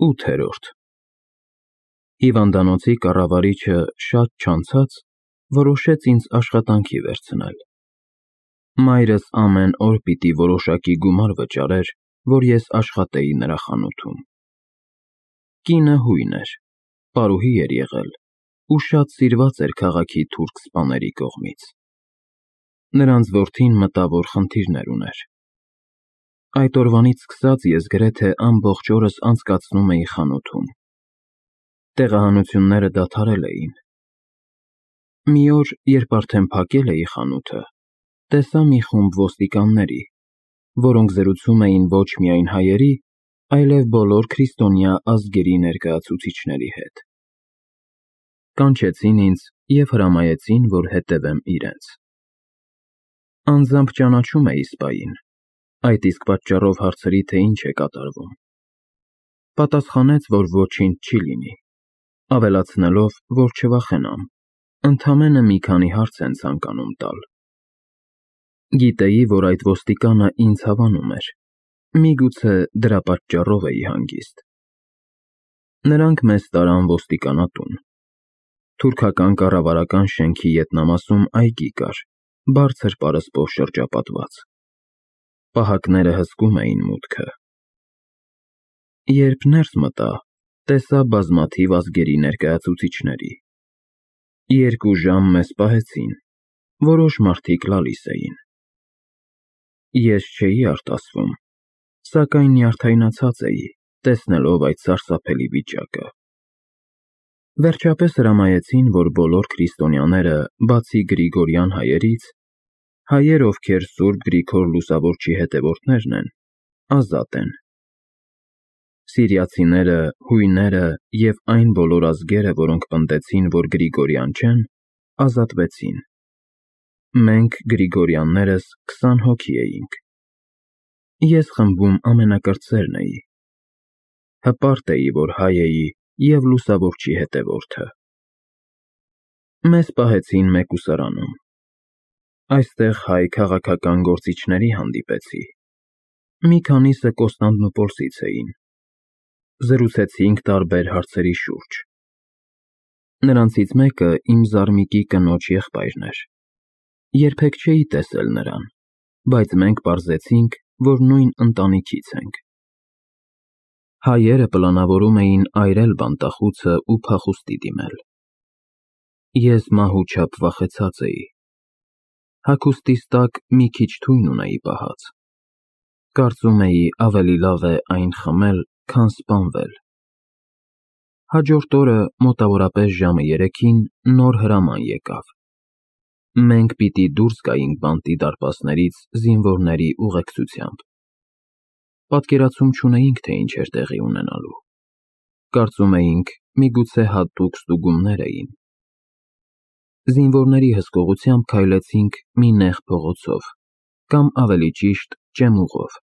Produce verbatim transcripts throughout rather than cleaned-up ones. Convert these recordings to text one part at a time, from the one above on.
ութերորդ Հիվանդանոցի կառավարիչը շատ չանցած որոշեց ինձ աշխատանքի վերցնել։ Մայրս ամեն օր պիտի որոշակի գումար վճարեր, որ ես աշխատեի նրա խանութում։ Կինը հույն էր, պարուհի էր եղել ու շատ սիրված էր քաղաքի թուրք սպաների կողմից։ Նրանց որդին մտավոր խնդիրներ ուներ։ Այդ օրվանից սկսած ես գրեթե ամբողջ օրս անցկացնում էի խանութում։ Տեղահանությունները դադարել էին։ Մի օր, երբ արդեն փակել էի խանութը, տեսա մի խումբ ոստիկանների, որոնք զրուցում էին ոչ միայն հայերի, այլև բոլոր քրիստոնյա ազգերի ներկայացուցիչների հետ։ Կանչեցին ինձ և հրամայեցին, որ հետևեմ իրենց։ Անձամբ ճանաչում էի սպային, այդ իսկ պատճառով հարցրի, թե ինչ է կատարվում։ Պատասխանեց, որ ոչինչ չի լինի, ավելացնելով, որ չվախենամ, ընդամենը մի քանի հարց են ցանկանում տալ։ Գիտեի, որ այդ ոստիկանը ինձ հավանում էր, միգուցե դրա պատճառով էի հանգիստ։ Նրանք մեզ տարան ոստիկանատուն։ Թուրքական կառավարական շենքի ետնամասում այգի կար, բարձր պարսպով շրջապատված։ Պահակները հսկում էին մուտքը։ Երբ ներս մտա, տեսա բազմաթիվ ազգերի ներկայացուցիչների։ Երկու ժամ մեզ պահեցին, որոշ մարդիկ լալիս էին։ Ես չէի արտասվում, սակայն նյարդայնացած էի, տեսնելով այդ սարսափելի վիճակը։ Վերջապես հրամայեցին, որ բոլոր քրիստոնյաները, բացի Գրիգորյան հայերից, հայեր, ովքեր Սուրբ Գրիգոր Լուսավորչի հետևորդներն են, ազատ են։ Սիրիացիները, հույները և այն բոլոր ազգերը, որոնք պնդեցին, որ Գրիգորյան չեն, ազատվեցին։ Մենք Գրիգորյաններս քսան հոգի էինք։ Ես խմբում ամենակրտսերն էի։ Հպարտ էի, որ հայ էի և Լուսավորչի հետևորդը։ Մեզ պահեցին մեկուսարանում։ Այստեղ հայ քաղաքական գործիչների հանդիպեցի։ Մի քանիսը Կոստանդնուպոլսից էին։ Զրուցեցինք տարբեր հարցերի շուրջ։ Նրանցից մեկը իմ զարմիկի կնոջ եղբայրն էր։ Երբեք չէի տեսել նրան, բայց մենք պարզեցինք, որ նույն ընտանիքից ենք։ Հայերը պլանավորում էին այրել բանտախուցը ու փախուստի դիմել։ Ես մահուչափ վախեցած էի։ Հագուստիս տակ մի քիչ թույն ունեի պահած։ Կարծում էի ավելի լավ է այն խմել, քան սպանվել։ Հաջորդ օրը, մոտավորապես ժամը երեքին, նոր հրաման եկավ։ Մենք պիտի դուրս գայինք բանտի դարպասներից զինվորների ուղեկցությամբ։ Պատկերացում չունեինք, թե ինչ էր տեղի ունենալու։ Կարծում էինք, միգուցե հատուկ ստուգումներ էին։ Զինվորների հսկողությամբ քայլեցինք մի նեղ փողոցով, կամ ավելի ճիշտ, ճեմուղով։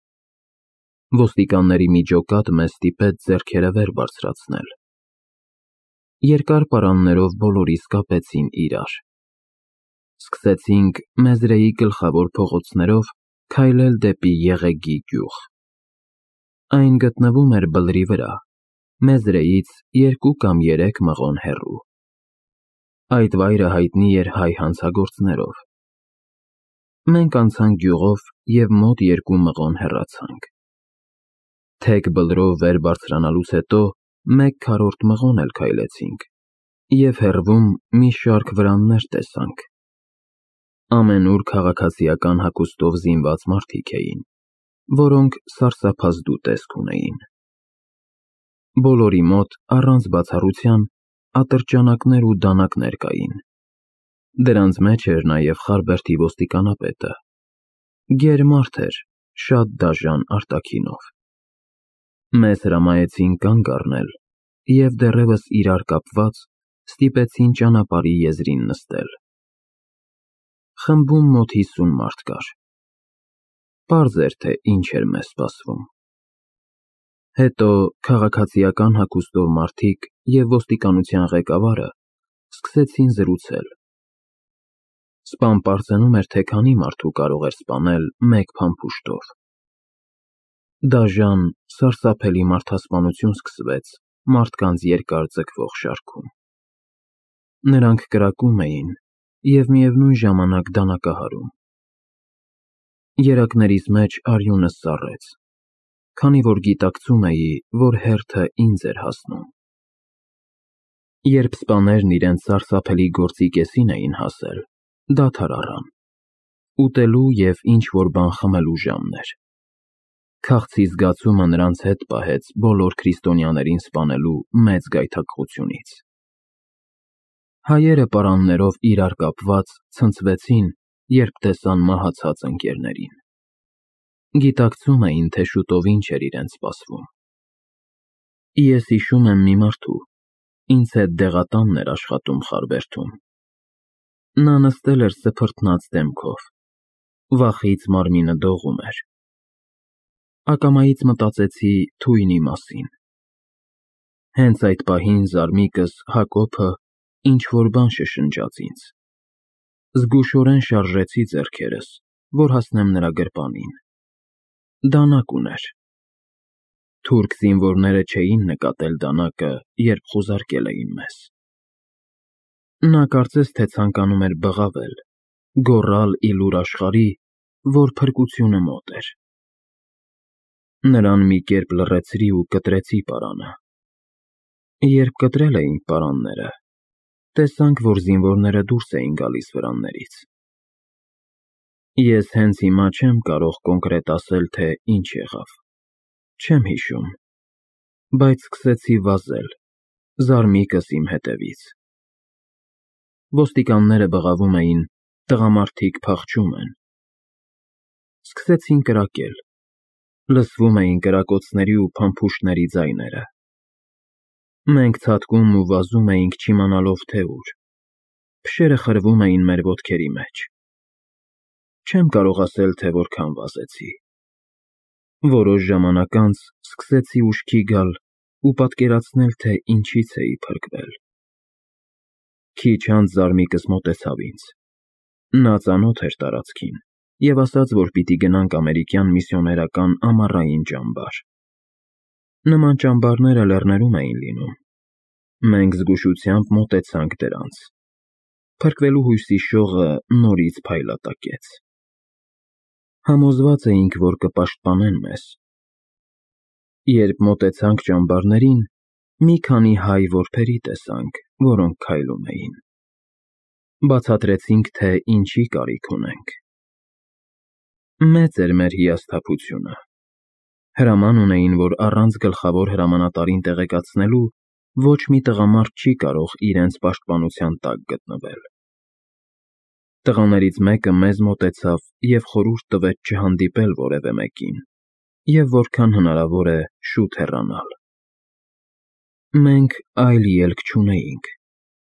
Ոստիկանների մի ջոկատ մեզ ստիպեց ձեռքերը վեր բարձրացնել։ Երկար պարաններով բոլորիս կապեցին իրար։ Սկսեցինք Մեզրեի գլխավոր փողոցներով քայլել դեպի Եղեգի գյուղ։ Այն գտնվում էր բլրի վրա, Մեզրեից երկու կամ երեք մղոն հեռու։ Այդ վայրը հայտնի էր հայ հանցագործներով։ Մենք անցանք գյուղով և մոտ երկու մղոն հեռացանք։ Թեք բլրով վեր բարձրանալուց հետո մեկ քառորդ մղոն էլ քայլեցինք և հեռվում մի շարք վրաններ տեսանք։ Ամենուր քաղաքացիական հագուստով զինված մարդիկ էին, որոնք սարսափազդու տեսք ունեին։ Բոլորի մոտ, առանց բացառության, ատրճանակներ ու դանակներ կային։ Դրանց մեջ էր նաև Խարբերդի ոստիկանապետը։ Գեր մարդ էր, շատ դաժան արտաքինով։ Մեզ հրամայեցին կանգ առնել և դեռևս իրար կապված ստիպեցին ճանապարհի եզրին նստել։ Խմբում մոտ հիսուն մարդ կար։ Պարզ էր, թե ինչ էր մեզ սպասվում։ Հետո քաղաքացիական հագուստով մարդիկ և ոստիկանության ղեկավարը սկսեցին զրուցել։ Սպան պարծենում էր, թե քանի մարդու կարող էր սպանել մեկ փամփուշտով։ Դաժան, սարսափելի մարդասպանություն սկսվեց մարդկանց երկար ձգվող շարքում։ Նրանք կրակում էին և միևնույն ժամանակ դանակահարում։ Երակներիս մեջ արյունս սառեց, քանի որ գիտակցում էի, որ հերթը ինձ էր հասնում։ Երբ սպաներն իրենց սարսափելի գործի կեսին էին հասել, դադար առան։ Ուտելու և ինչ-որ բան խմելու ժամն էր։ Քաղցի զգացումը նրանց հետ պահեց բոլոր քրիստոնյաներին սպանելու մեծ գայթակղությունից։ Հայերը պարաններով իրար կապված ցնցվեցին, երբ տեսան մահացած ընկերներին։ Գիտակցում էին, թե շուտով ինչ էր իրենց սպասվում։ Ես հիշում եմ մի մարդու, ինձ հետ դեղատանն էր աշխատում Խարվերդում։ Նա նստել էր սփռտնած դեմքով, վախից մարմինը դողում էր։ Ակամայից մտածեցի թույնի մասին։ Հենց այդ պահին զարմիկս Հակոբը ինչ-որ բան շշնջաց ինձ։ Զգուշորեն շարժեցի ձեռքերս, որ հասնեմ նրա գրպանին։ Դանակ ուներ։ Թուրք զինվորները չէին նկատել դանակը, երբ խուզարկել էին մեզ։ Նա կարծես թե ցանկանում էր բղավել, գոռալ ի լուր աշխարհի, որ փրկությունը մոտ էր։ Նրան մի կերպ լռեցրի ու կտրեցի պարանը։ Երբ կտրել էինք պարանները, տեսանք, որ զինվորները դուրս էին գալիս վրաններից։ Ես հենց հիմա չեմ կարող կոնկրետ ասել, թե ինչ եղավ։ Չեմ հիշում, բայց սկսեցի վազել, զարմիկս իմ հետևից։ Ոստիկանները բղավում էին, տղամարդիկ փախչում են։ Սկսեցին կրակել։ Լսվում էին կրակոցների ու փամփուշտների ձայները։ Մենք ցատկում ու վազում էինք չիմանալով, թե ուր։ Փշերը խրվում էին մեր ոտքերի մեջ։ Չեմ կարող ասել, թե որքան վազեցի։ Որոշ ժամանակ անց սկսեցի ուշքի գալ ու պատկերացնել, թե ինչից էի փրկվել։ Քիչ անց զարմիկս մոտեցավ ինձ։ Նա ծանոթ էր տարածքին և ասաց, որ պիտի գնանք ամերիկյան միսիոներական ամառային ճամբար։ Նման ճամբարները լեռներում էին լինում։ Մենք զգուշությամբ մոտեցանք դրանց։ Փրկվելու հույսի շողը նորից փայլատակեց։ Համոզված էինք, որ կպաշտպանեն մեզ։ Երբ մոտեցանք ճամբարներին, մի քանի հայ որբերի տեսանք, որոնք քայլում էին։ Բացատրեցինք, թե ինչի կարիք ունենք։ Մեծ էր մեր հիասթափությունը։ Հրաման ունեին, որ առանց գլխավոր հրամանատարին տեղեկացնելու ոչ մի տղամարդ չի կարող իրենց պաշտպանության տակ գտնվել։ Տղաներից մեկը մեզ մոտեցավ և խորհուրդ տվեց չհանդիպել որևէ մեկին և որքան հնարավոր է շուտ հեռանալ։ Մենք այլ ելք չունեինք,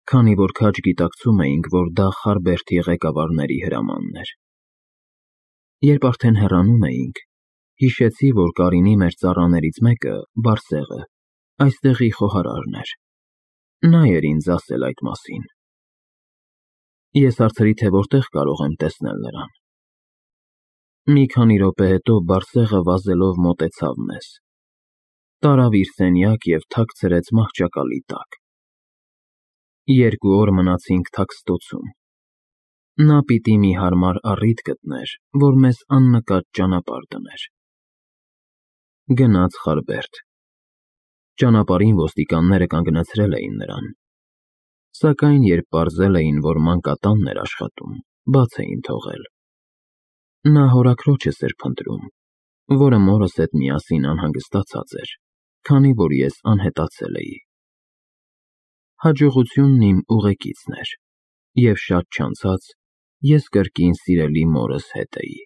քանի որ քաջ գիտակցում էինք, որ դա Խարբերդի ղեկավարների հրամանն էր։ Երբ արդեն հեռանում էինք, հիշեցի, որ Կարինի մեր ծառաներից մեկը, Բարսեղը, այստեղի խոհարարն էր։ Նա էր ինձ ասել այդ մասին։ Ես հարցրի, թե որտեղ կարող եմ տեսնել նրան։ Մի քանի րոպե հետո Բարսեղը վազելով մոտեցավ մեզ։ Տարավ իր սենյակ և թաքցրեց մահճակալի տակ։ Երկու օր մնացինք թաքստոցում։ Նա պիտի մի հարմար առիթ գտներ, որ մեզ աննկատ ճանապարհ դներ։ Գնաց Խարբերդ։ Ճանապարհին ոստիկանները կանգնացրել էին նրան։ Սակայն երբ պարզել էին, որ մանկատանն էր աշխատում, բաց էին թողել։ Նա հորաքրոջս էր փնտրում, որը մորս հետ միասին անհանգստացած էր, քանի որ ես անհետացել էի։ Հաջողությունն իմ ուղեկիցն էր, և շատ չանցած ես կրկին սիրելի մորս հետ էի։